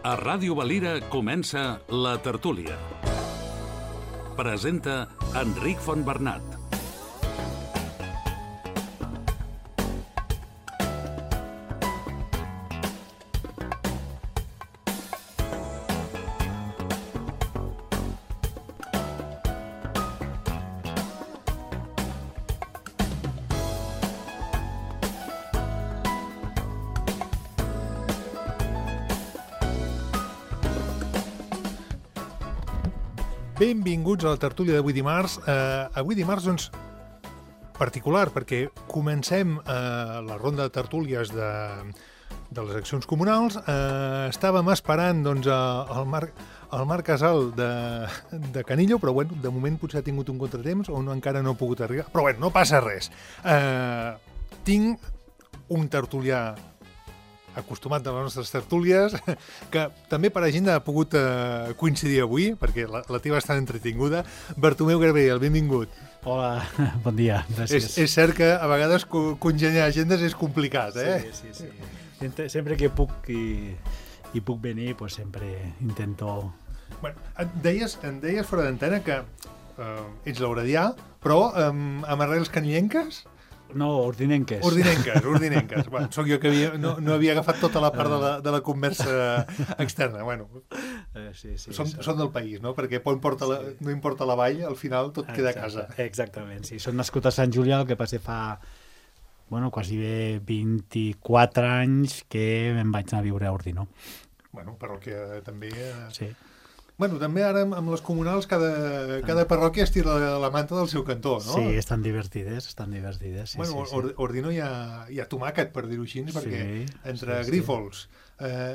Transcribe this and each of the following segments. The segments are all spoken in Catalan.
A Ràdio Valira comença La Tertúlia. Presenta Enric Fontbernat. Benvinguts a la tertúlia d'avui dimarts. Avui dimarts, doncs, particular, perquè comencem la ronda de tertúlies de les eleccions comunals. Estàvem esperant doncs, el Marc Casal de Canillo, però bueno, de moment potser ha tingut un contratemps o encara no ha pogut arribar. Però bueno, no passa res. Tinc un tertulià acostumat a les nostres tertúlies, que també per agenda ha pogut coincidir avui, perquè la teva està entretinguda. Bartomeu Gabriel, benvingut. Hola, bon dia, gràcies. És cert que a vegades congeniar agendes és complicat, eh? Sí. Sempre que puc i puc venir, pues sempre intento... Bueno, em deies fora d'antena que ets lauredià, però amb arrels canillenques? No, ordinenques. Ordinenques. Bueno, soc jo que no havia agafat tota la part de la conversa externa. Bueno, sí, són del país, no? Perquè no importa la vall, al final tot queda a casa. Exactament, sí. Són nascut a Sant Julià, el que passa fa quasi bé 24 anys que me'n vaig anar a viure a Ordino. Bueno, parròquia també... Sí. Bueno, també ara amb les comunals cada parròquia estira la manta del seu cantó, no? Sí, estan divertides. Sí, bueno, Ordino hi ha tomàquet, per dir-ho així, perquè entre grífols,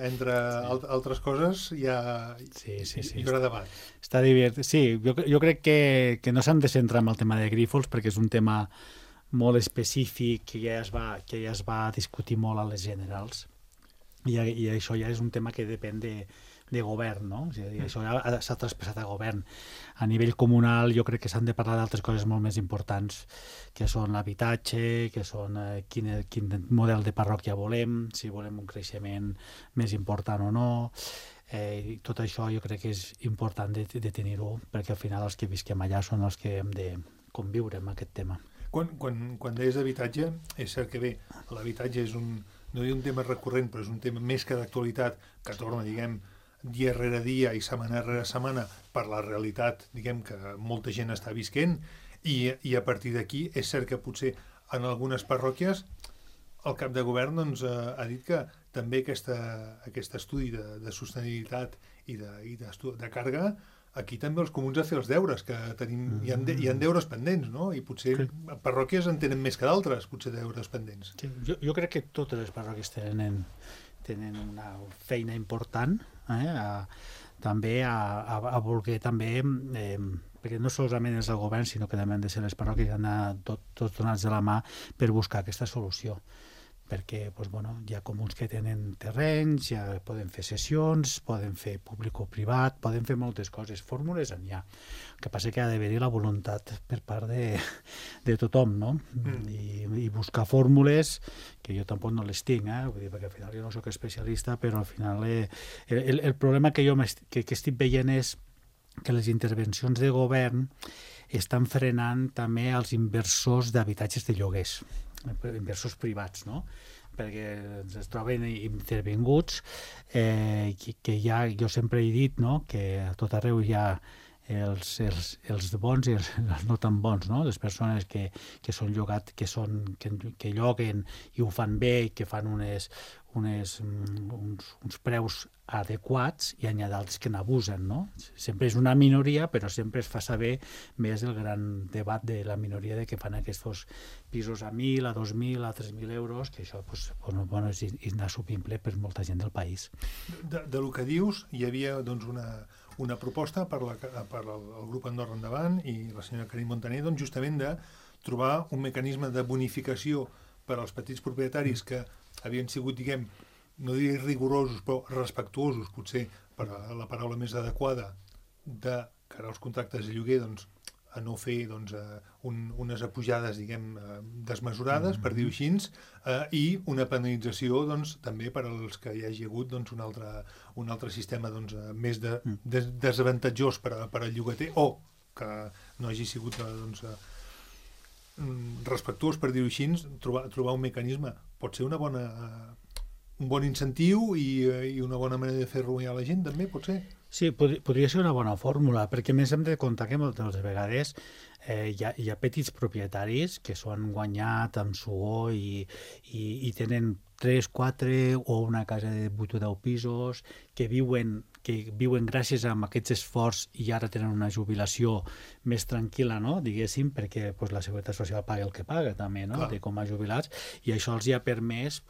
entre altres coses, hi haurà debat. Està divertit. Sí, jo crec que no s'han de centrar en el tema de grífols, perquè és un tema molt específic que ja es va discutir molt a les generals. I això ja és un tema que depèn de govern, no? O sigui, això ja s'ha traspassat a govern. A nivell comunal jo crec que s'han de parlar d'altres coses molt més importants, que són l'habitatge, que són quin model de parròquia volem, si volem un creixement més important o no. I tot això jo crec que és important de tenir-ho, perquè al final els que visquem allà són els que hem de conviure amb aquest tema. Quan deies d'habitatge, és cert que bé, l'habitatge és no dic un tema recurrent, però és un tema més que d'actualitat, que torna, diguem, dia rere dia i setmana rere setmana per la realitat, diguem, que molta gent està visquent, i a partir d'aquí és cert que potser en algunes parròquies el cap de govern doncs, ha dit que també aquest estudi de sostenibilitat i de càrrega, aquí també els comuns a fer els deures, que hi ha deures pendents, no? I potser parròquies en tenen més que d'altres, potser deures pendents. Sí, jo crec que totes les parròquies tenen una feina important, també a voler també, perquè no solament és el govern, sinó que també han de ser les parròquies que han d'anar tots donats de la mà per buscar aquesta solució. Perquè hi ha comuns que tenen terrenys, ja poden fer sessions, poden fer públic o privat, poden fer moltes coses, fórmules en hi ha. El que passa que ha d'haver-hi la voluntat per part de tothom, no? I buscar fórmules, que jo tampoc no les tinc, vull dir, perquè al final jo no soc especialista, però al final el problema que jo que estic veient és que les intervencions de govern estan frenant també els inversors d'habitatges de lloguers, inversors privats, no? Perquè es troben intervinguts, que ja jo sempre he dit, no? Que a tot arreu hi ha els bons i els no tan bons, no? Les persones que són llogat, que lloguen i ho fan bé, que fan uns preus adequats, i hi ha d'altres que n'abusen, no? Sempre és una minoria, però sempre es fa saber més el gran debat de la minoria de que fan aquests pisos a 1.000, a 2.000, a 3.000 euros, que això és inassumible per molta gent del país. Del que dius, hi havia doncs una proposta per al grup Andorra Endavant i la senyora Karim Montaner, doncs justament de trobar un mecanisme de bonificació per als petits propietaris que havien sigut, diguem, no diré rigorosos, però respectuosos, potser per la paraula més adequada, de cara als contractes de lloguer, doncs a no fer doncs, unes apujades, diguem, desmesurades, per dir-ho així, i una penalització doncs, també per als que hi hagi hagut doncs, un altre sistema doncs, més desavantatjós per al llogater, o que no hagi sigut doncs, respectuós, per dir-ho així, trobar un mecanisme. Pot ser un bon incentiu i una bona manera de fer ruïnar la gent, també, pot ser? Sí, podria ser una bona fórmula, perquè a més hem de comptar que moltes vegades hi ha petits propietaris que s'ho han guanyat amb suor i tenen 3, 4 o una casa de 8 o 10 pisos que viuen gràcies a aquests esforços i ara tenen una jubilació més tranquil·la, no? Diguéssim, perquè la Seguretat Social paga el que paga també, no? De com a jubilats, i això els hi ha permès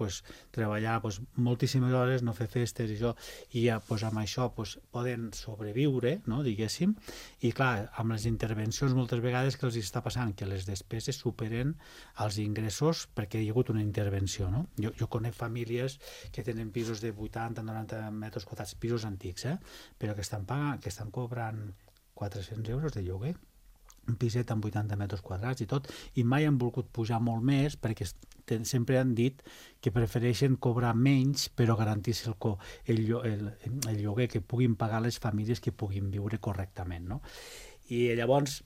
treballar moltíssimes hores, no fer festes i això, i amb això poden sobreviure, no? Diguéssim, i clar, amb les intervencions moltes vegades que els està passant que les despeses superen els ingressos perquè hi ha hagut una intervenció, no? Jo conec famílies que tenen pisos de 80-90 metres quadrats, pisos antics, però que estan cobrant 400 euros de lloguer, un piset amb 80 metres quadrats i tot, i mai han volgut pujar molt més perquè sempre han dit que prefereixen cobrar menys però garantir-se el lloguer que puguin pagar les famílies que puguin viure correctament, no? I llavors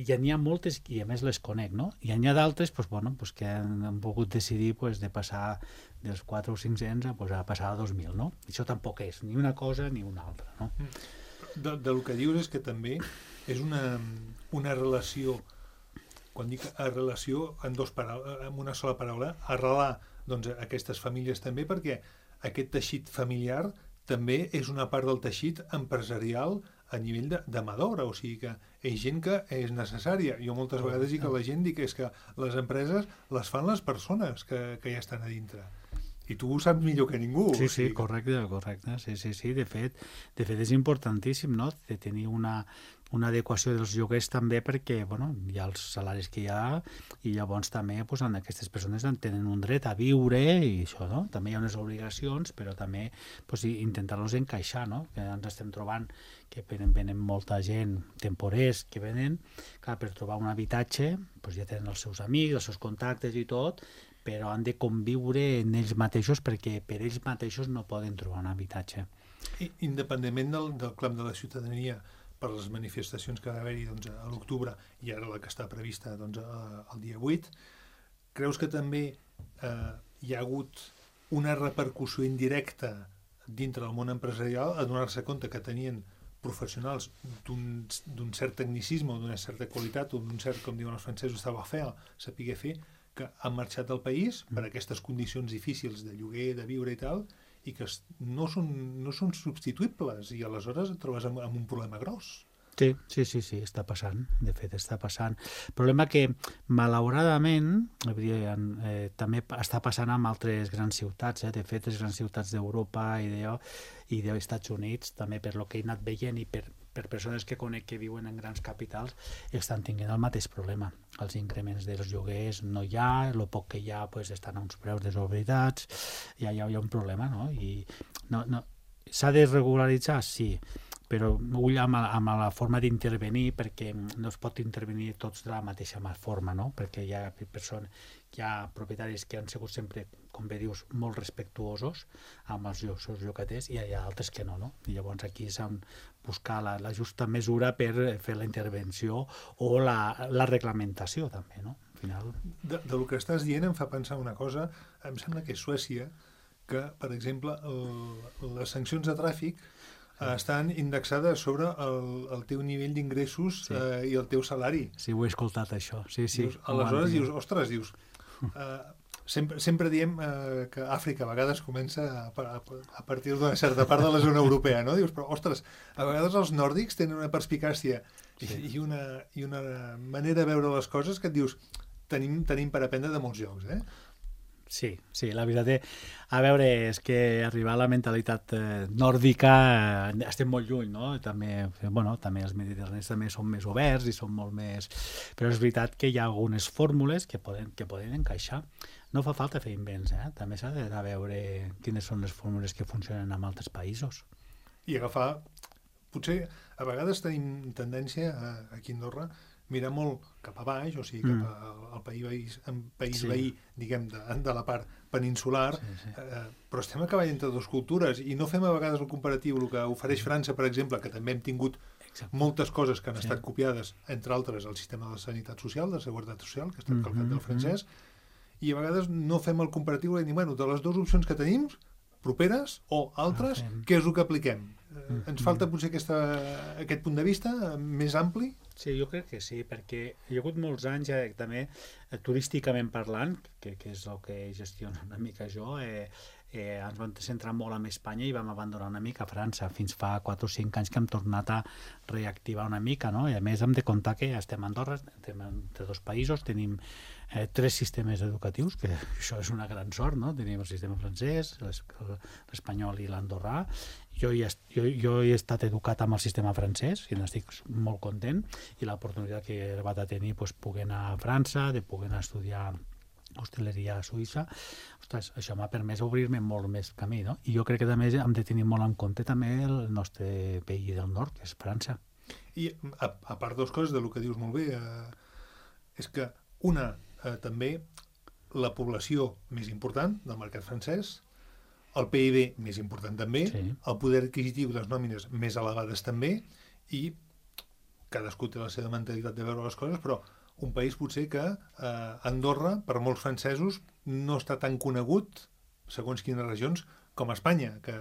ja n'hi ha moltes, i a més les conec, no? I n'hi ha d'altres que han volgut decidir de passar dels 4 o 500 a passar a 2.000, no? Això tampoc és ni una cosa ni una altra, no? Del que dius és que també és una relació, quan dic relació amb una sola paraula, arrelar doncs, aquestes famílies també, perquè aquest teixit familiar també és una part del teixit empresarial a nivell de mà d'obra, o sigui que és gent que és necessària. Jo moltes vegades dic a la gent és que les empreses les fan les persones que ja estan a dintre. I tu ho saps millor que ningú. Sí, correcte. Sí. De fet és importantíssim, no?, de tenir una adequació dels lloguers també perquè hi ha els salaris que hi ha i llavors també aquestes persones tenen un dret a viure i això, no? També hi ha unes obligacions, però també intentar-los encaixar, no? Que ens estem trobant que venen molta gent, temporers que venen, clar, per trobar un habitatge ja tenen els seus amics, els seus contactes i tot, però han de conviure en ells mateixos perquè per ells mateixos no poden trobar un habitatge. Independentment del clam de la ciutadania, per les manifestacions que va haver-hi a l'octubre i ara la que està prevista el dia 8, creus que també hi ha hagut una repercussió indirecta dintre del món empresarial a donar-se compte que tenien professionals d'un cert tecnicisme o d'una certa qualitat o d'un cert, com diuen els francesos, savoir-faire, saber fer, que han marxat del país per aquestes condicions difícils de lloguer, de viure i tal, i que no són substituïbles, i aleshores et trobes amb un problema gros. Sí, està passant, de fet està passant. El problema que, malauradament, també està passant amb altres grans ciutats, de fet, les grans ciutats d'Europa i dels Estats Units, també per lo que he anat veient i per persones que conec que viuen en grans capitals, estan tenint el mateix problema. Els increments dels lloguers no hi ha, el poc que hi ha estan a uns preus desorbitats, hi ha un problema, no? I s'ha de regularitzar? Sí, però ull amb la forma d'intervenir, perquè no es pot intervenir tots de la mateixa forma, no? Perquè hi ha propietaris que han sigut sempre, com bé dius, molt respectuosos amb els seus llogaters i hi ha altres que no, no? I llavors aquí s'ha de buscar la justa mesura per fer la intervenció o la reglamentació també, no? Al final... Del que estàs dient em fa pensar una cosa, em sembla que és Suècia, que, per exemple, les sancions de tràfic estan indexades sobre el teu nivell d'ingressos i el teu salari. Sí, ho he escoltat, això. Sí. Aleshores dius, ostres, sempre diem que Àfrica a vegades comença a partir d'una certa part de la zona europea, no? Dius, però, ostres, a vegades els nòrdics tenen una perspicàcia i una manera de veure les coses que et dius, tenim per aprendre de molts llocs, eh? Sí, la veritat a veure, és que arribar a la mentalitat nòrdica estem molt lluny, no? També els mediterranis també són més oberts i són molt més... Però és veritat que hi ha algunes fórmules que poden encaixar. No fa falta fer invents, també s'ha de veure quines són les fórmules que funcionen en altres països. I agafar... Potser a vegades tenim tendència aquí a Andorra mirar molt cap a baix, o sigui, cap al país veí, diguem, de la part peninsular, però estem a cavall entre dues cultures i no fem a vegades el comparatiu, el que ofereix França, per exemple, que també hem tingut moltes coses que han estat copiades, entre altres el sistema de sanitat social, de seguretat social, que ha estat calcat del francès, i a vegades no fem el comparatiu i diem, bueno, de les dues opcions que tenim, properes o altres, què és el que apliquem? Ens falta potser aquest punt de vista més ampli? Sí, jo crec que sí, perquè hi ha hagut molts anys també, turísticament parlant, que és el que gestiono una mica jo, ens vam centrar molt en Espanya i vam abandonar una mica França. Fins fa 4 o 5 anys que hem tornat a reactivar una mica, no? I a més hem de comptar que estem a Andorra, estem entre dos països, tenim 3 sistemes educatius, que això és una gran sort, no? Tenim el sistema francès, l'espanyol i l'andorrà. Jo he estat educat amb el sistema francès i n'estic molt content, i l'oportunitat que he arribat a tenir, poder anar a França, de poder anar a estudiar hostaleria a Suïssa, ostres, això m'ha permès obrir-me molt més camí, no? I jo crec que també hem de tenir molt en compte també el nostre veí del nord, que és França. I a part de les coses, del que dius molt bé, és que també la població més important del mercat francès, el PIB més important també, el poder adquisitiu de les nòmines més elevades també, i cadascú té la seva mentalitat de veure les coses, però un país potser que Andorra, per molts francesos, no està tan conegut, segons quines regions, com Espanya, que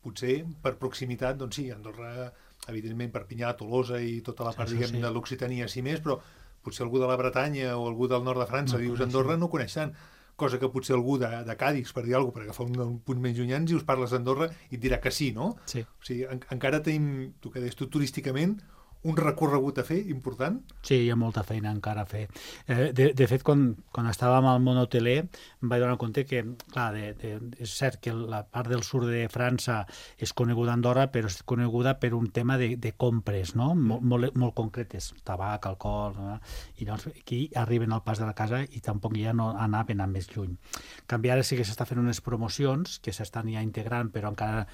potser per proximitat, doncs sí, Andorra, evidentment Perpinyà, Tolosa i tota la part, diguem, de l'Occitania, sí més, però potser algú de la Bretanya o algú del nord de França, dius Andorra, no coneix tant. Cosa que potser algú de Càdix, per dir alguna cosa, per agafar un punt menys llunyans, i us parles d'Andorra i et dirà que sí, no? Sí. O sigui, encara tenim, tu que deies tu, turísticament, un recorregut a fer important? Sí, hi ha molta feina encara a fer. De fet, quan estàvem al món hoteler, em vaig donar compte que, clar, és cert que la part del sud de França és coneguda a Andorra, però és coneguda per un tema de compres, no? Molt concretes, tabac, alcohol, no? I llavors aquí arriben al pas de la casa i tampoc ja no anaven a més lluny. En canvi, ara sí que s'està fent unes promocions que s'estan ja integrant, però encara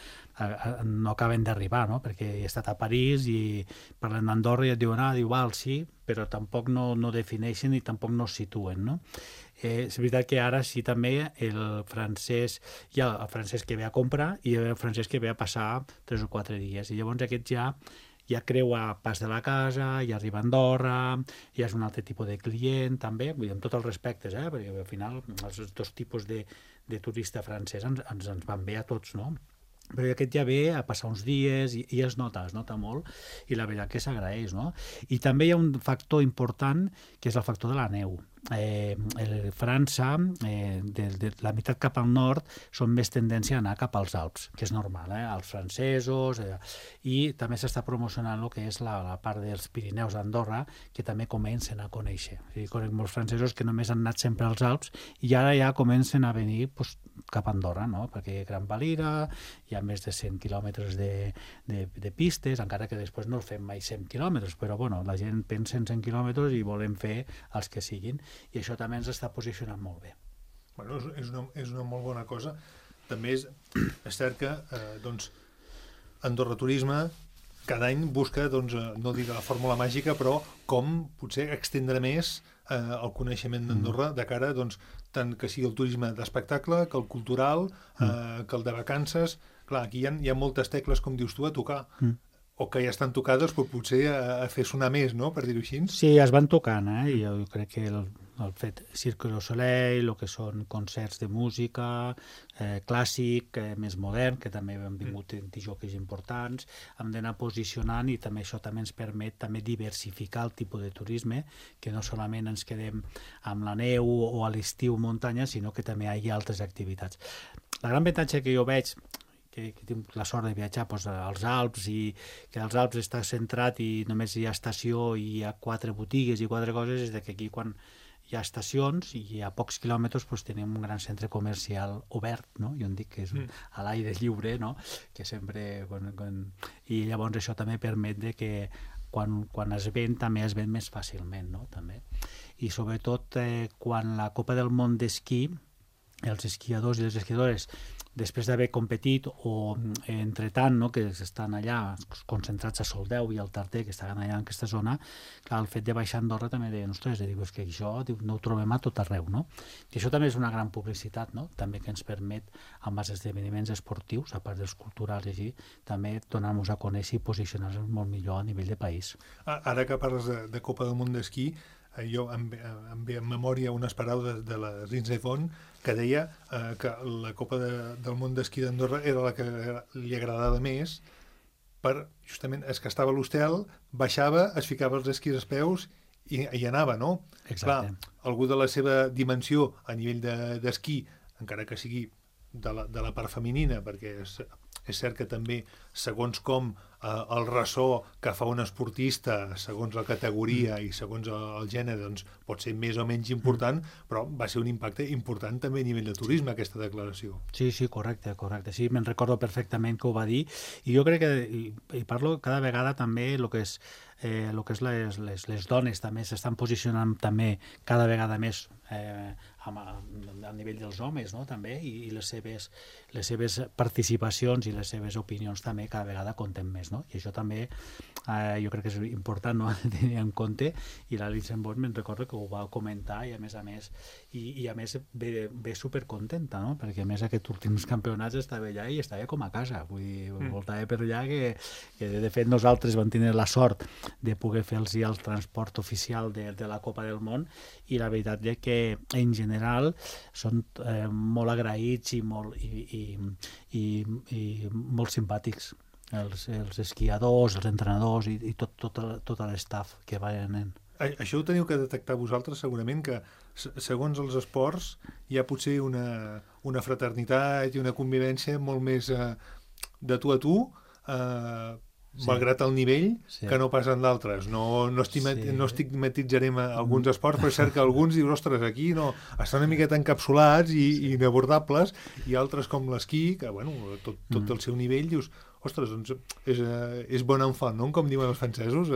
no acaben d'arribar, no? Perquè he estat a París i parlant d'Andorra i et diuen, val, sí, però tampoc no defineixen i tampoc no es situen, no? És veritat que ara sí també el francès, hi ha el francès que ve a comprar i el francès que ve a passar 3 o 4 dies, i llavors aquest ja creua pas de la casa, ja arriba a Andorra, ja és un altre tipus de client també, vull dir, amb tots els respectes, perquè al final els dos tipus de turista francès ens van bé a tots, no? Però aquest ja ve a passar uns dies i es nota molt, i la veritat que s'agraeix, no? I també hi ha un factor important, que és el factor de la neu. França, de la meitat cap al nord, són més tendència a anar cap als Alps, que és normal, els francesos, i també s'està promocionant el que és la part dels Pirineus d'Andorra, que també comencen a conèixer. O sigui, conec molts francesos que només han anat sempre als Alps i ara ja comencen a venir cap a Andorra, no? Perquè Gran Valira hi ha més de 100 quilòmetres de pistes, encara que després no fem mai 100 quilòmetres, però bueno, la gent pensa en 100 quilòmetres i volem fer els que siguin, i això també ens està posicionant molt bé. Bueno, és una molt bona cosa. També és cert que Andorra Turisme cada any busca, no dic la fórmula màgica, però com potser extendre més el coneixement d'Andorra de cara, tant que sigui el turisme d'espectacle, que el cultural, que el de vacances. Clar, aquí hi ha moltes tecles, com dius tu, a tocar. O que ja estan tocades, però potser a fer sonar més, no?, per dir-ho així. Sí, es van tocant, i jo crec que el fet Cirque du Soleil, el que són concerts de música, clàssic, més modern, que també han vingut jockeys importants, hem d'anar posicionant, i també això també ens permet també diversificar el tipus de turisme, que no solament ens quedem amb la neu o a l'estiu muntanya, sinó que també hi ha altres activitats. La gran avantatge que jo veig, que tinc la sort de viatjar als Alps, i que als Alps està centrat i només hi ha estació i hi ha 4 botigues i 4 coses, és que aquí quan hi ha estacions i a pocs quilòmetres tenim un gran centre comercial obert, no? Jo en dic que és a l'aire lliure, no? Que sempre... I llavors això també permet que quan es ven també es ven més fàcilment, no? També. I sobretot quan la Copa del Món d'esquí, els esquiadors i les esquiadores després d'haver competit o entretant, no, que estan allà concentrats a Soldeu i al Tarter, que estaven allà en aquesta zona, clar, el fet de baixar a Andorra també deien, ostres, és que això no ho trobem a tot arreu, no? I això també és una gran publicitat, no? També que ens permet, amb els esdeveniments esportius, a part dels culturals i així, també donar-nos a conèixer i posicionar-nos molt millor a nivell de país. Ara que parles de Copa del Món d'esquí, jo em ve en memòria unes paraules de la Lindsey Vonn que deia que la Copa del Món d'esquí d'Andorra era la que li agradava més per, justament, es que estava a l'hostel, baixava, es ficava els esquís als peus i anava, no? Exacte. Clar, algú de la seva dimensió a nivell d'esquí, encara que sigui de la part femenina, perquè és cert que també, segons com el ressò que fa un esportista, segons la categoria i segons el gènere, doncs pot ser més o menys important, però va ser un impacte important també a nivell de turisme, aquesta declaració. Sí, correcte. Sí, me'n recordo perfectament que ho va dir, i jo crec que, i parlo cada vegada també el que és les dones també s'estan posicionant també cada vegada més a nivell dels homes, no? També, i les seves participacions i les seves opinions també cada vegada compten més, no? I això també jo crec que és important, no? Tenir en compte, i la Lindsey Vonn me'n recordo que ho va comentar i a més ve supercontenta, no? Perquè a més aquests últims campionats estava allà i estava com a casa, vull dir, voltava per allà que de fet nosaltres vam tenir la sort de poder fer-los el transport oficial de la Copa del Món, i la veritat és que en general són molt agraïts i molt simpàtics els esquiadors, els entrenadors i tot l'estaf que venen. Això ho teniu que detectar vosaltres segurament, que segons els esports hi ha potser una fraternitat i una convivència molt més de tu a tu, malgrat el nivell, que no pas en d'altres. No estigmatitzarem alguns esports, però és cert que alguns dius, ostres, aquí no, estan una miqueta encapsulats i inabordables, i altres com l'esquí, que bueno, tot el seu nivell, dius, ostres, doncs és bon enfant, no? Com diuen els francesos.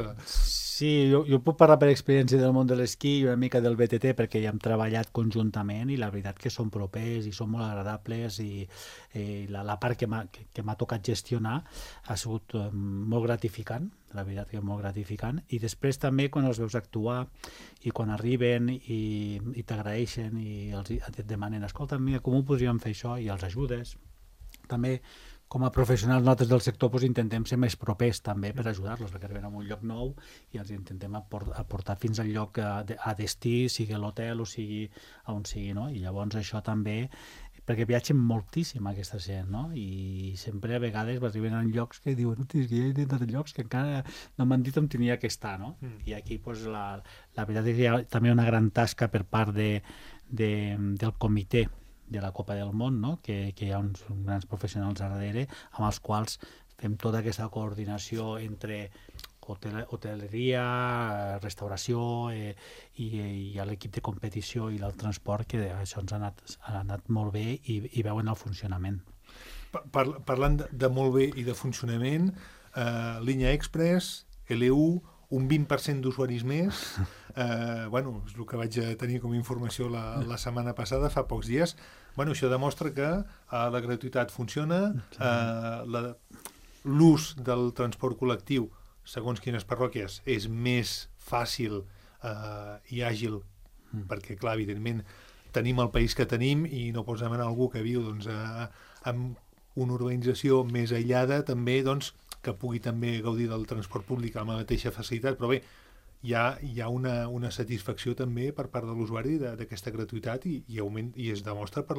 Sí, jo puc parlar per experiència del món de l'esquí i una mica del BTT, perquè ja hem treballat conjuntament i la veritat que són propers i són molt agradables, i la part que m'ha tocat gestionar ha sigut molt gratificant, la veritat que molt gratificant, i després també quan els veus actuar i quan arriben i t'agraeixen i et demanen, escolta, mira, com ho podríem fer això? I els ajudes. També com a professionals nosaltres del sector intentem ser més propers també per ajudar-los, perquè arriben a un lloc nou i els intentem aportar fins al lloc a destí, sigui a l'hotel o sigui on sigui, no? I llavors això també, perquè viatgen moltíssim aquesta gent, no? I sempre a vegades arriben a llocs que diuen, que hi ha dintre de llocs que encara no m'han dit on tenia que estar, no? I aquí pues, la veritat és que hi ha també una gran tasca per part del comitè de la Copa del Món, no? Que hi ha uns grans professionals a darrere amb els quals fem tota aquesta coordinació entre hoteleria, restauració i l'equip de competició i el transport, que això ens ha anat molt bé i veuen el funcionament. Parlant de molt bé i de funcionament, línia express, LU, un 20% d'usuaris més, bueno, és el que vaig tenir com a informació la setmana passada, fa pocs dies. Bueno, això demostra que la gratuïtat funciona, l'ús del transport col·lectiu, segons quines parròquies, és més fàcil i àgil, perquè, clar, evidentment, tenim el país que tenim i no pots demanar a algú que viu doncs, amb una urbanització més aïllada, també, doncs, que pugui també gaudir del transport públic amb la mateixa facilitat, però bé, hi ha una satisfacció també per part de l'usuari d'aquesta gratuïtat i es demostra per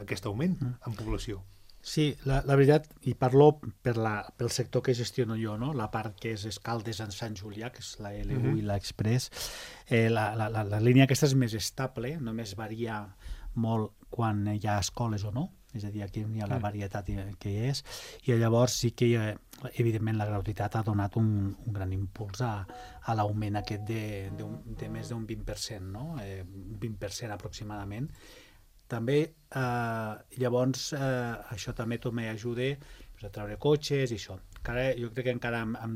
aquest augment en població. Sí, la veritat, i parlo pel sector que gestiono jo, no? La part que és Escaldes en Sant Julià, que és la LU i l'Express, la línia aquesta és més estable, només varia molt quan hi ha escoles o no, és a dir, aquí hi ha la varietat que hi és, i llavors sí que evidentment la gratuïtat ha donat un gran impuls a l'augment aquest de més d'un 20%, no? Un 20% aproximadament. També, llavors, això també m'ajuda a treure cotxes i això. Jo crec que encara hem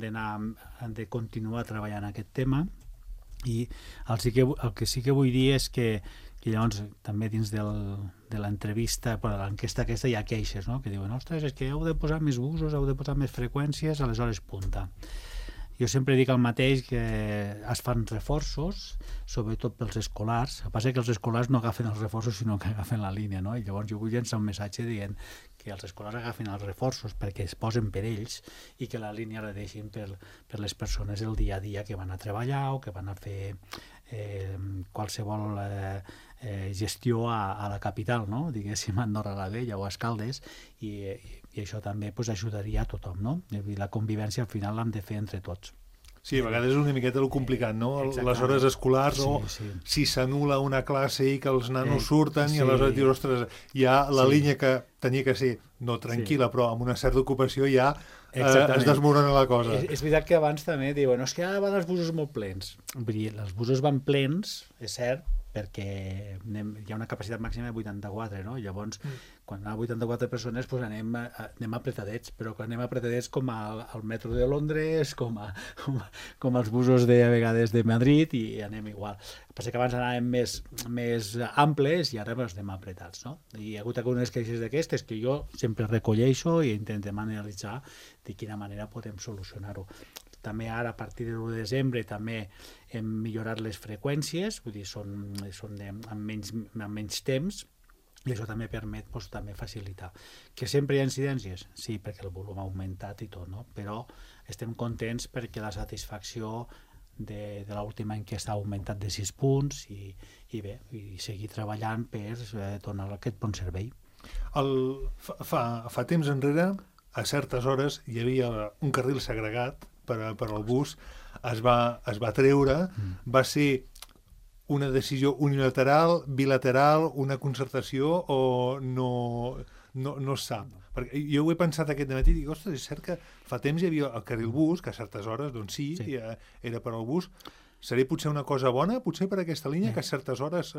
de continuar treballant en aquest tema, i el que sí que vull dir és que I llavors també dins de l'entrevista, de l'enquesta aquesta hi ha queixes, no? Que diuen, ostres, és que heu de posar més busos, heu de posar més freqüències a les hores punta. Jo sempre dic el mateix, que es fan reforços, sobretot pels escolars. El que passa és que els escolars no agafen els reforços, sinó que agafen la línia, no? I llavors jo vull llançar un missatge dient que els escolars agafen els reforços perquè es posen per ells i que la línia la deixin per les persones el dia a dia que van a treballar o que van a fer qualsevol gestió a la capital, no? Diguéssim, a Andorra la Vella o a Escaldes, i això també ajudaria a tothom, no? I la convivència al final l'hem de fer entre tots. Sí, a vegades és una miqueta el complicat, no? Exactament. Les hores escolars, si s'anul·la una classe i que els nanos surten i aleshores dius, ostres, ja la línia que tenia que ser, no tranquil·la, però amb una certa ocupació ja es desmorona la cosa. És veritat que abans també diuen, és que ara van els busos molt plens. Vull dir, els busos van plens, és cert, perquè hi ha una capacitat màxima de 84, no? Llavors, quan hi ha 84 persones, doncs anem apretadets, però quan anem apretadets com al metro de Londres, com als busos a vegades de Madrid, i anem igual. El que passa que abans anàvem més amples i ara anem apretats, no? Hi ha hagut algunes queixes d'aquestes que jo sempre recolleixo i intentem analitzar de quina manera podem solucionar-ho. També ara, a partir de l'1 de desembre, també hem millorat les freqüències, vull dir, són amb menys temps, i això també permet també facilitar. Que sempre hi ha incidències? Sí, perquè el volum ha augmentat i tot, no? Però estem contents perquè la satisfacció de l'última enquesta ha augmentat de 6 punts i seguir treballant per donar aquest bon servei. Fa temps enrere, a certes hores, hi havia un carril segregat per al bus, es va treure, va ser una decisió unilateral, bilateral, una concertació o no es sap? Perquè jo ho he pensat aquest matí i dic, ostres, és cert que fa temps hi havia el carril bus, que a certes hores, doncs sí. Era per al bus. Seria potser una cosa bona, potser per aquesta línia, que a certes hores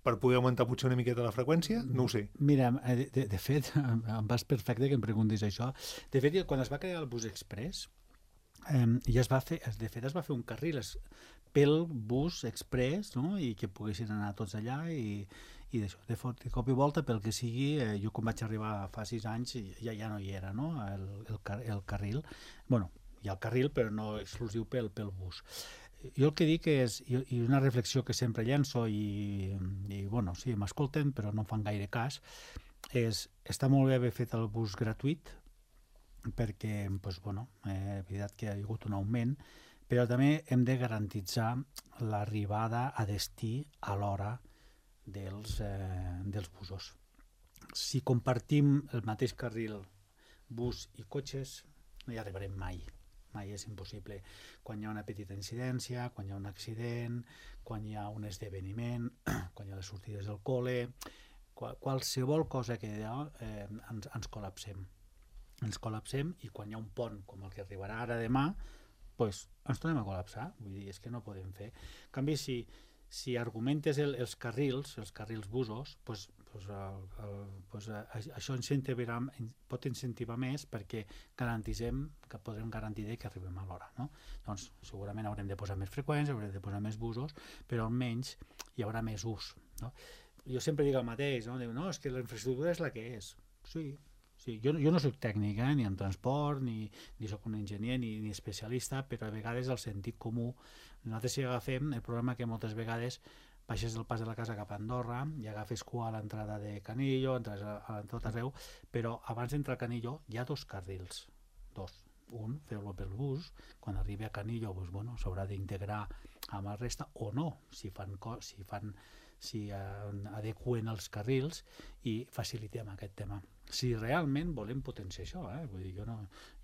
per poder augmentar potser una miqueta la freqüència? No ho sé. Mira, de fet, em vas perfecte que em preguntis això. De fet, quan es va crear el bus express, es va fer un carril pel bus express, no? I que poguessin anar tots allà i d'això. De cop i volta, pel que sigui, jo quan vaig arribar fa 6 anys ja no hi era, no? El carril. Bueno, hi ha el carril, però no exclusiu pel bus. Jo el que dic és, i una reflexió que sempre llenço, i bueno, sí, m'escolten, però no em fan gaire cas, està molt bé haver fet el bus gratuït, perquè, doncs, bueno, és veritat que hi ha hagut un augment, però també hem de garantitzar l'arribada a destí a l'hora dels busos. Si compartim el mateix carril, bus i cotxes, no hi arribarem mai. Mai és impossible. Quan hi ha una petita incidència, quan hi ha un accident, quan hi ha un esdeveniment, quan hi ha les sortides del col·le, qualsevol cosa que hi ha, ens col·lapsem. Ens col·lapsem i quan hi ha un pont com el que arribarà ara demà, doncs ens tornem a col·lapsar. Vull dir, és que no podem fer. En canvi, si argumentes els carrils busos, això pot incentivar més perquè podrem garantir que arribem a l'hora, no? Doncs segurament haurem de posar més freqüents, haurem de posar més busos, però almenys hi haurà més ús, no? Jo sempre dic el mateix, no? Diu, no, és que la infraestructura és la que és. Sí, jo no soc tècnic, ni en transport, ni soc un enginyer, ni especialista, però a vegades el sentit comú, nosaltres si agafem el problema que moltes vegades baixes del pas de la casa cap a Andorra i agafes cua a l'entrada de Canillo, entres a tot arreu, però abans d'entrar a Canillo hi ha 2 carrils, 2. Un, feu-lo pel bus, quan arribi a Canillo s'haurà d'integrar amb la resta, o no, si adequen els carrils i facilitem aquest tema. Si realment volem potenciar això, vull dir,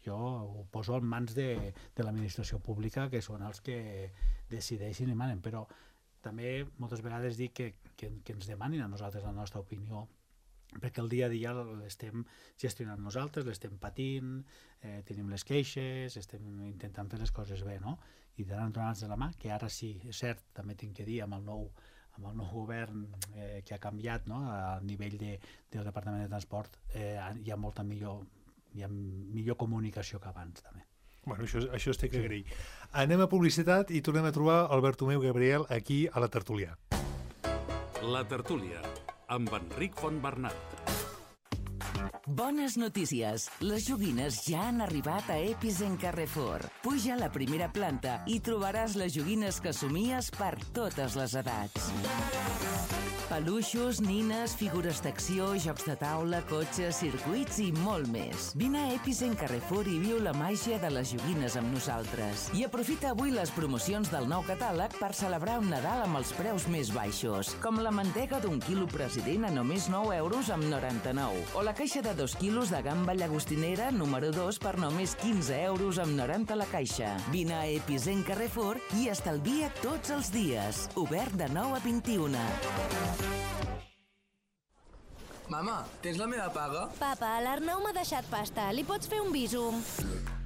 jo ho poso en mans de l'administració pública, que són els que decideixin i manen, però també moltes vegades dic que ens demanin a nosaltres la nostra opinió, perquè el dia a dia l'estem gestionant nosaltres, l'estem patint, tenim les queixes, estem intentant fer les coses bé, no? I donant-nos de la mà, que ara sí, és cert, també tinc que dir, amb el nou govern que ha canviat, no? A nivell del Departament de Transport hi ha molta millor comunicació que abans també. Bueno, això es té que agrair. Anem a publicitat i tornem a trobar el Bartomeu Gabriel aquí a la tertúlia. La tertúlia, amb Enric Fontbernat. Bones notícies! Les joguines ja han arribat a Epicent Carrefour. Puja a la primera planta i trobaràs les joguines que somies per totes les edats. Peluixos, nines, figures d'acció, jocs de taula, cotxes, circuits i molt més. Vine a Epicent Carrefour i viu la màgia de les joguines amb nosaltres. I aprofita avui les promocions del nou catàleg per celebrar un Nadal amb els preus més baixos, com la mantega d'1 quilo President a només 9 euros amb 99, o la caixa de 2 quilos de gamba llagostinera número 2 per només 15 euros amb 90 la caixa. Vine a Epicent Carrefour i estalvia tots els dies. Obert de 9 a 21. Mama, tens la meva paga? Papa, l'Arnau m'ha deixat pasta. Li pots fer un bísum?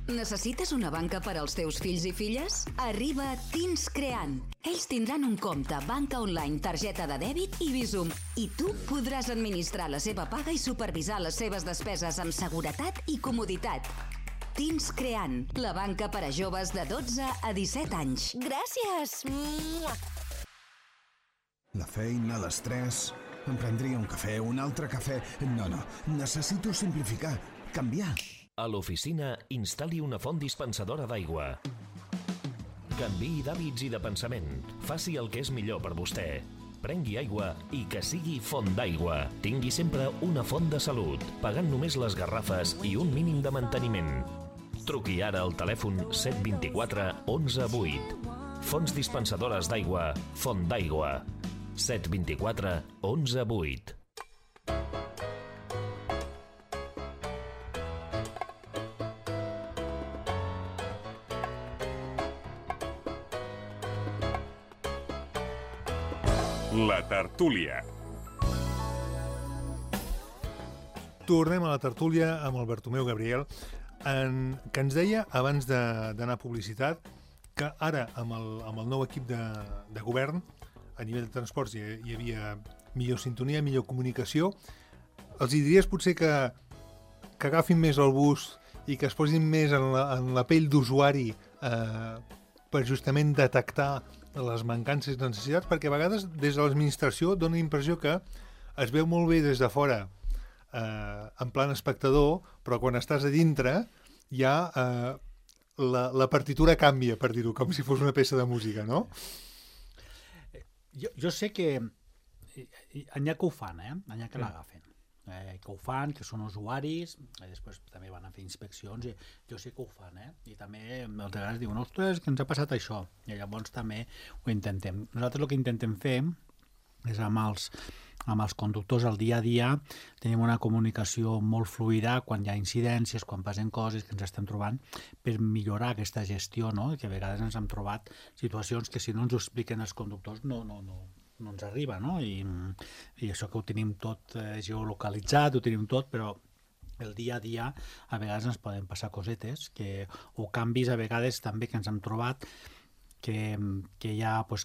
Necessites una banca per als teus fills i filles? Arriba Teens Creant. Ells tindran un compte, banca online, targeta de dèbit i Bizum. I tu podràs administrar la seva paga i supervisar les seves despeses amb seguretat i comoditat. Teens Creant, la banca per a joves de 12 a 17 anys. Gràcies! La feina, l'estrès... Em prendria un cafè, un altre cafè... No, necessito simplificar, canviar. A l'oficina, instal·li una font dispensadora d'aigua. Canviï d'hàbits i de pensament. Faci el que és millor per vostè. Prengui aigua i que sigui font d'aigua. Tingui sempre una font de salut, pagant només les garrafes i un mínim de manteniment. Truqui ara al telèfon 724 11 8. Fonts dispensadores d'aigua, Font d'Aigua. 724 11 8. La tertúlia. Tornem a la tertúlia amb el Bartomeu Gabriel, que ens deia, abans d'anar a publicitat, que ara, amb el nou equip de govern, a nivell de transports hi havia millor sintonia, millor comunicació. Els diries potser que agafin més el bus i que es posin més en la pell d'usuari per justament detectar les mancances i necessitats, perquè a vegades des de l'administració dona la impressió que es veu molt bé des de fora en plan espectador, però quan estàs a dintre ja la partitura canvia, per dir-ho, com si fos una peça de música, no? Jo sé que n'hi ha que ho fan, n'hi ha que l'agafen, que ho fan, que són usuaris, i després també van a fer inspeccions, i jo sé que ho fan, i també moltes vegades diuen, ostres, que ens ha passat això, i llavors també ho intentem. Nosaltres el que intentem fer és amb els conductors al dia a dia tenim una comunicació molt fluida quan hi ha incidències, quan passen coses que ens estem trobant per millorar aquesta gestió, no? Que a vegades ens hem trobat situacions que si no ens ho expliquen els conductors no ens arriba, no? I això que ho tenim tot geolocalitzat, ho tenim tot, però el dia a dia a vegades ens poden passar cosetes o canvis a vegades també que ens hem trobat que ja pues,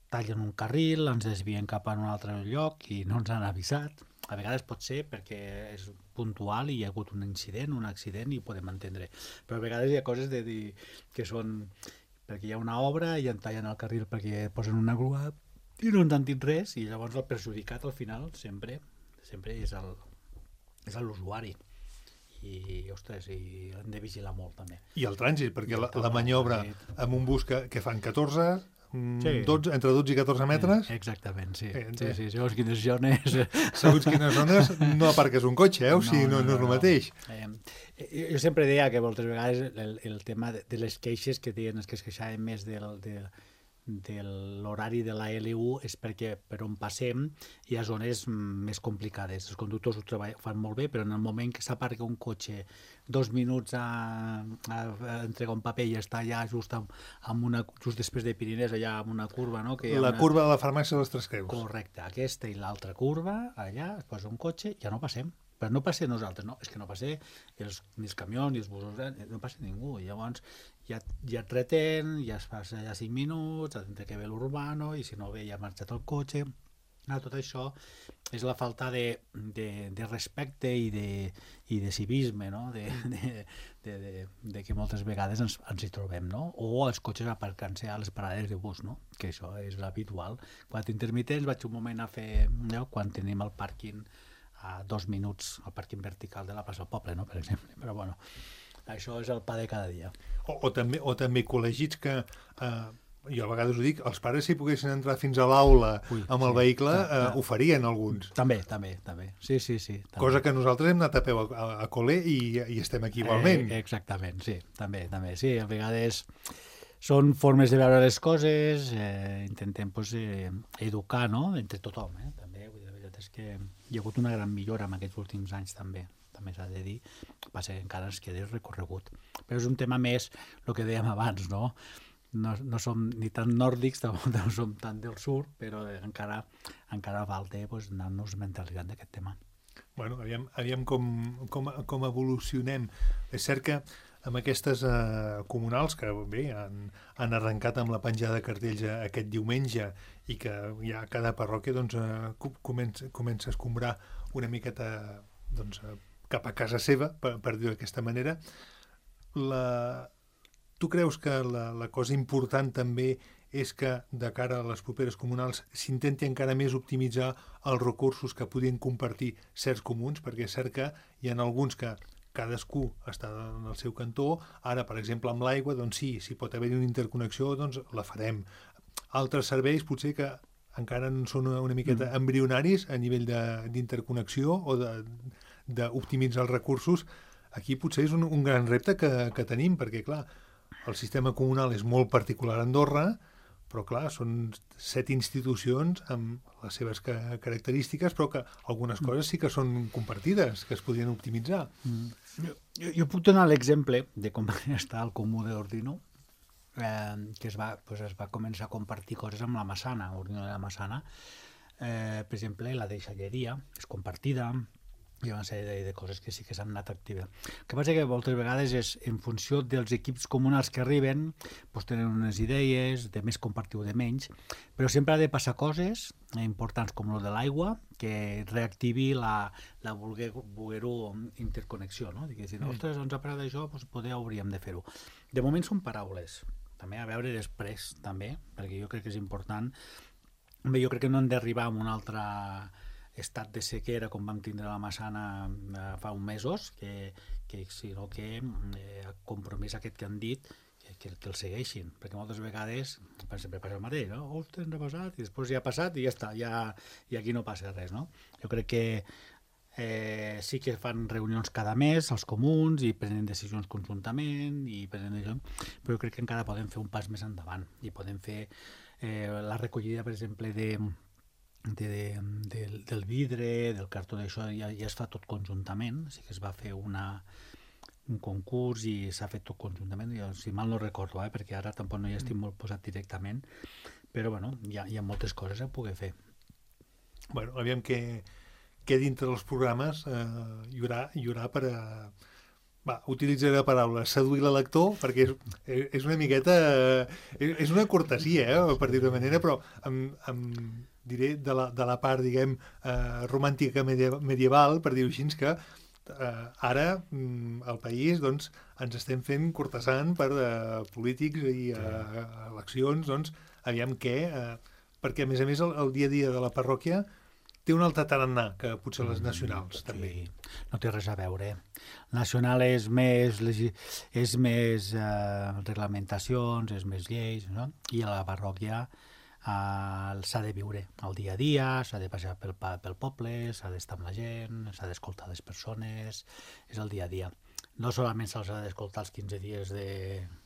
tallen un carril, ens desvien cap a un altre lloc i no ens han avisat. A vegades pot ser perquè és puntual i hi ha hagut un incident, un accident i ho podem entendre. Però a vegades hi ha coses que són perquè hi ha una obra i en tallen el carril perquè posen una grua i no ens han dit res i llavors el perjudicat al final sempre és l'usuari. I, ostres, hem de vigilar molt també. I el trànsit, perquè la maniobra amb un bus que fan 14... Sí. Entre 12 i 14 metres. Exactament, sí. Sí. Segons quines zones... Segons quines zones no aparques un cotxe, o sigui, no és el mateix. Jo sempre deia que moltes vegades el tema de les queixes que deien que es queixaven més de l'horari de la L1 és perquè per on passem hi ha zones més complicades. Els conductors ho fan molt bé, però en el moment que s'aparca un cotxe 2 minuts a entregar un paper i està allà just després de Pirinès, allà amb una curva, no? Curva de la farmàcia de les Tres Creus. Correcte, aquesta i l'altra curva, allà es posa un cotxe, ja no passem. Però no passa nosaltres, no, és que no passa ni els camions ni els busos, no passa ningú. Llavors ja et retén, ja es passa ja 5 minuts, has d'entrar que ve l'urbano, i si no ve ja ha marxat el cotxe. Tot això és la falta de respecte i de civisme, no? de que moltes vegades ens hi trobem, no? O els cotxes aparcant-se a les parades de bus, no? Que això és l'habitual. Quan intermitents vaig un moment a fer, quan tenim el pàrquing a 2 minuts, el pàrquing vertical de la plaça del Poble, no? Per exemple. Però bueno, això és el pa de cada dia. O també col·legits que... jo a vegades ho dic, els pares si poguessin entrar fins a l'aula amb el vehicle, ho farien alguns. També. Sí. També. Cosa que nosaltres hem anat a peu a col·le i estem aquí igualment. Exactament, sí, també. Sí, a vegades són formes de veure les coses, intentem educar, no?, entre tothom, també. La veritat és que hi ha hagut una gran millora en aquests últims anys, també s'ha de dir, passa que encara ens queda recorregut. Però és un tema més, el que dèiem abans, no?, no som ni tan nòrdics, no som tan del sud, però encara falta anar-nos mentalitzant d'aquest tema. Bueno, aviam com evolucionem. És cert que amb aquestes comunals, que bé, han arrencat amb la penjada de cartells aquest diumenge i que ja cada parròquia comença a escombrar una miqueta cap a casa seva, per dir-ho d'aquesta manera, tu creus que la cosa important també és que de cara a les properes comunals s'intenti encara més optimitzar els recursos que podien compartir certs comuns, perquè és cert que hi ha alguns que cadascú està en el seu cantó, ara per exemple amb l'aigua, doncs sí, si pot haver-hi una interconnexió, doncs la farem. Altres serveis potser que encara són una miqueta embrionaris a nivell d'interconnexió o d'optimitzar els recursos. Aquí potser és un gran repte que tenim, perquè clar, el sistema comunal és molt particular a Andorra, però clar, són 7 institucions amb les seves característiques, però que algunes coses sí que són compartides, que es podrien optimitzar. Jo puc donar l'exemple de com està el comú d'Ordino, que es va començar a compartir coses amb la Massana, Ordino de la Massana. Per exemple, la deixalleria és compartida, hi ha una sèrie de coses que sí que s'han anat activant. El que passa que moltes vegades és en funció dels equips comunals que arriben, tenen unes idees de més compartir o de menys, però sempre ha de passar coses importants com el de l'aigua que reactivi la voler-ho interconnexió, no? Dic, ostres, ens ha parat això, poder hauríem de fer-ho. De moment són paraules, també a veure després, també, perquè jo crec que és important. Jo crec que no hem d'arribar a un altre estat de sequera com vam tindre a la Massana fa uns mesos, sinó que el compromís aquest que han dit que el segueixin, perquè moltes vegades sempre passa el mateix, no? Ostres, ens ha passat, i després ja ha passat i ja està, i aquí no passa res, no? Jo crec que sí que fan reunions cada mes els comuns i prenen decisions conjuntament, però jo crec que encara podem fer un pas més endavant i podem fer la recollida, per exemple, del vidre, del cartó, d'això ja es fa tot conjuntament, sí que es va fer un concurs i s'ha fet tot conjuntament, jo, si mal no recordo, perquè ara tampoc no hi estic molt posat directament, però bueno, hi ha moltes coses a poder fer. Bueno, aviam que dintre dels programes hi haurà per utilitzaré la paraula seduir l'elector, perquè és una miqueta és una cortesia, per dir-ho de manera, però diré de la part, diguem, romàntica medieval, per dir-ho així, que ara al país ens estem fent cortesant per polítics i eleccions, doncs aviam què, perquè a més el dia a dia de la parròquia té un altre tarannà que potser les nacionals, també. Sí, no té res a veure. Nacional és més reglamentacions, és més lleis, no? I a la parròquia s'ha de viure el dia a dia, s'ha de passar pel poble, s'ha d'estar amb la gent, s'ha d'escoltar les persones, és el dia a dia. No solament se'ls ha d'escoltar els 15 dies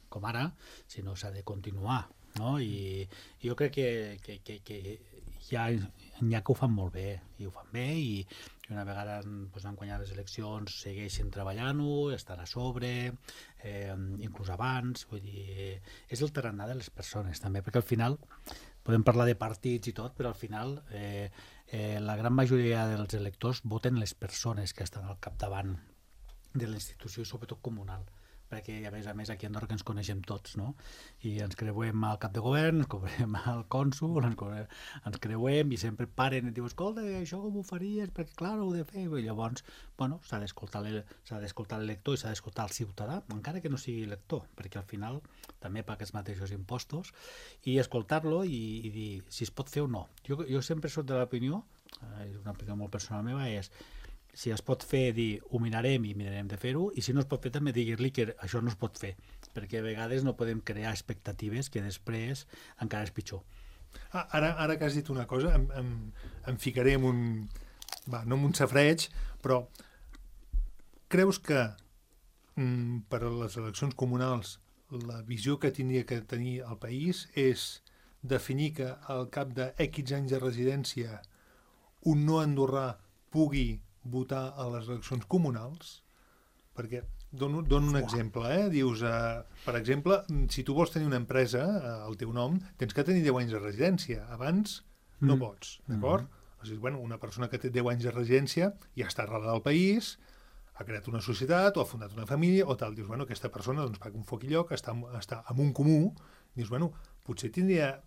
com ara, sinó s'ha de continuar, no? I jo crec que hi ha que ho fan molt bé, i ho fan bé, i una vegada han guanyat les eleccions segueixen treballant-ho, estan a sobre, inclús abans, vull dir, és el tarannà de les persones també, perquè al final podem parlar de partits i tot, però al final la gran majoria dels electors voten les persones que estan al capdavant de la institució, sobretot comunal. perquè a més aquí a Andorra que ens coneixem tots, no? I ens creuem al cap de govern, ens creuem al cònsul, ens creuem i sempre paren i diuen, escolta, això com ho faries? Perquè clar, ho he de fer. I llavors, bueno, s'ha d'escoltar el lector i s'ha d'escoltar el ciutadà, encara que no sigui lector, perquè al final també paga els mateixos impostos, i escoltar-lo i dir si es pot fer o no. Jo sempre soc de l'opinió, és una opinió molt personal meva, és si es pot fer, dir, ho mirarem i mirarem de fer-ho, i si no es pot fer també dir-li que això no es pot fer, perquè a vegades no podem crear expectatives que després encara és pitjor. Ara que has dit una cosa, em ficaré en un... no en un safreig, però creus que per a les eleccions comunals la visió que tindria que tenir el país és definir que al cap de X anys de residència un no andorrà pugui votar a les eleccions comunals? Perquè dono un exemple, dius, per exemple, si tu vols tenir una empresa al teu nom, tens que tenir 10 anys de residència, abans no pots, d'acord? O sigui, bueno, una persona que té 10 anys de residència ja està arrelada al país, ha creat una societat o ha fundat una família o tal, dius, bueno, aquesta persona doncs paga un foc i lloc, està en un comú, dius, bueno, potser tindria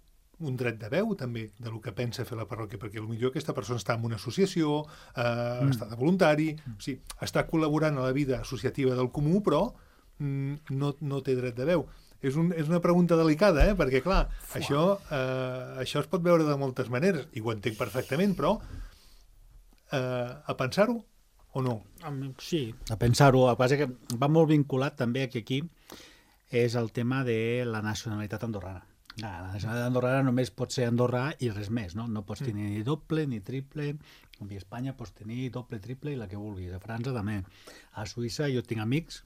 un dret de veu també del que pensa fer la parròquia, perquè potser aquesta persona està en una associació, està de voluntari, o sigui, està col·laborant a la vida associativa del comú, però no té dret de veu. És una pregunta delicada, perquè clar, això es pot veure de moltes maneres, i ho entenc perfectament, però a pensar-ho o no? Sí, a pensar-ho. El que passa que va molt vinculat també que aquí és el tema de la nacionalitat andorrana. La nacionalitat andorrana només pot ser andorrà i res més, no? No pots tenir ni doble ni triple, com a Espanya pots tenir doble, triple i la que vulguis. A França també. A Suïssa jo tinc amics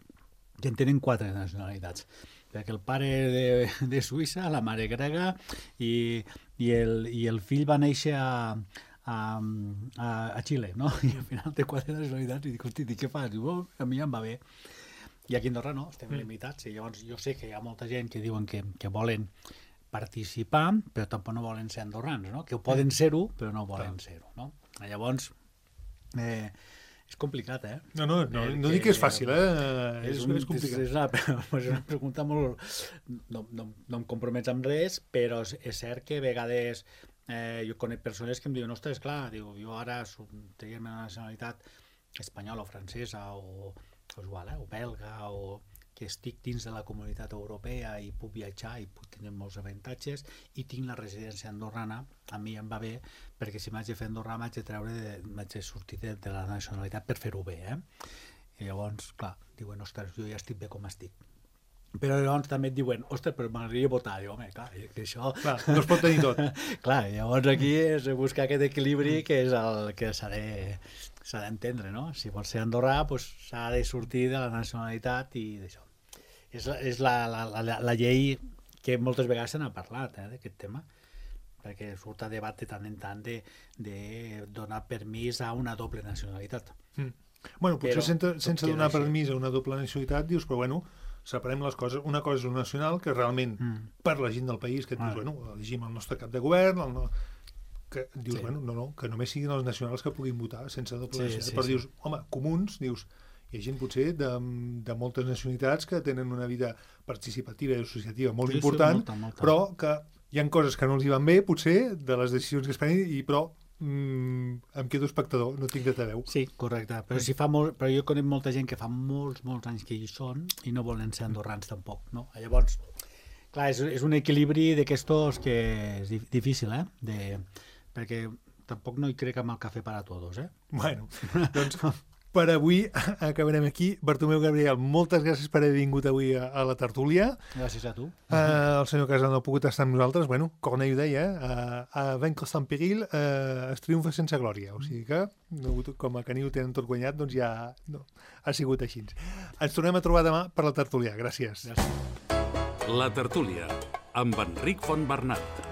que en tenen 4 nacionalitats, perquè el pare de Suïssa, la mare grega i el fill va néixer a Xile, no? I al final té 4 nacionalitats i dic, hosti, què fas? Diu, a mi em va bé. I aquí a Andorra no, estem limitats. I llavors jo sé que hi ha molta gent que diuen que volen participar, però tampoc no volen ser andorrans, no? Que ho poden ser-ho, però no volen ser-ho, no? Llavors, és complicat, No dic que és fàcil, és complicat. És una pregunta molt... No em compromets amb res, però és cert que a vegades jo conec persones que em diuen, ostres, clar, jo ara tenim una nacionalitat espanyola o francesa o belga o que estic dins de la comunitat europea i puc viatjar i puc tenir molts avantatges i tinc la residència andorrana, a mi em va bé perquè si m'haig de fer andorrà m'haig de sortir de la nacionalitat per fer-ho bé, I llavors, clar, diuen, ostres, jo ja estic bé com estic. Però llavors també et diuen, ostres, però m'agradaria votar. Diu, home, clar, que això... Clar, no es pot tenir tot. Clar, llavors aquí és buscar aquest equilibri que és el que s'ha d'entendre, no? Si vols ser andorrà, doncs s'ha de sortir de la nacionalitat i d'això. És la llei que moltes vegades se n'ha parlat, d'aquest tema, perquè surt a debat de tant en tant de donar permís a una doble nacionalitat. Bueno, potser sense donar permís a una doble nacionalitat dius, però bueno, separem les coses. Una cosa és un nacional que realment per la gent del país, que et dius, bueno, elegim el nostre cap de govern, que dius, bueno, no, que només siguin els nacionals que puguin votar sense doble nacionalitat. Però dius, home, comuns, dius, hi ha gent potser de moltes nacionalitats que tenen una vida participativa i associativa molt important, molta. Però que hi ha coses que no els hi van bé, potser, de les decisions que es prenen, però em quedo espectador, no tinc dret a veu. Sí, correcte, però jo conec molta gent que fa molts anys que hi són i no volen ser andorrans tampoc, no? Llavors, clar, és un equilibri d'aquestos que és difícil, perquè tampoc no hi crec amb el cafè per a tots, Bueno, doncs per avui acabarem aquí. Bartomeu Gabriel, moltes gràcies per haver vingut avui a la tertúlia. Gràcies a tu. El senyor Casal no ha pogut estar amb nosaltres. Bueno, Cornell ho deia, a vaincre sans péril es triomfa sense glòria. O sigui que, com a Caniu tenen tot guanyat, doncs ja ha sigut així. Ens tornem a trobar demà per la tertúlia. Gràcies. La tertúlia, amb Enric Fontbernat.